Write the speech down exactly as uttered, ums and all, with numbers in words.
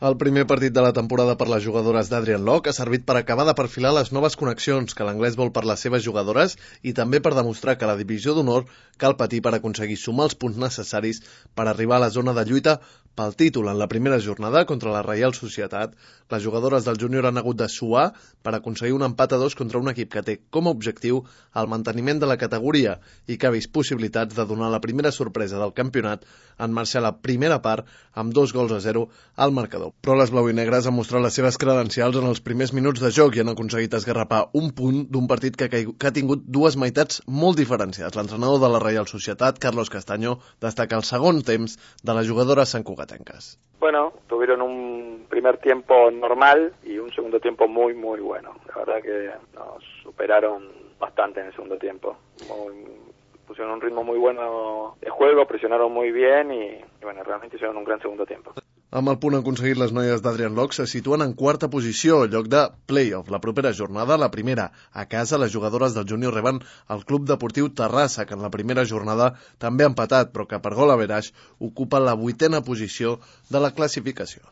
El primer partit de la temporada per les jugadores d'Adrian Locke ha servit per acabar de perfilar les noves connexions que l'anglès vol per les seves jugadores i també per demostrar que la divisió d'honor cal patir per aconseguir sumar els punts necessaris per arribar a la zona de lluita pel títol. En la primera jornada contra la Reial Societat, les jugadores del júnior han hagut de suar per aconseguir un empat a dos contra un equip que té com a objectiu el manteniment de la categoria i que ha vist possibilitats de donar la primera sorpresa del campionat en marxar la primera part amb dos gols a zero al marcador. Però les blau i negres han mostrat les seves credencials en els primers minuts de joc i han aconseguit esgarrapar un punt d'un partit que, que ha tingut dues meitats molt diferenciades. L'entrenador de la Reial Societat, Carlos Castaño, destaca el segon temps de les jugadores santcugatenques. Bueno, tuvieron un primer tiempo normal y un segundo tiempo muy, muy bueno. La verdad que nos superaron bastante en el segundo tiempo. Muy, pusieron un ritmo muy bueno de juego, presionaron muy bien y, y bueno, realmente hicieron un gran segundo tiempo. Amb el punt aconseguit, les noies d'Adrian Locke se situen en quarta posició, al lloc de play-off. La propera jornada, la primera a casa, les jugadores del júnior reben el Club Deportiu Terrassa, que en la primera jornada també ha empatat, però que per gol average ocupa la vuitena posició de la classificació.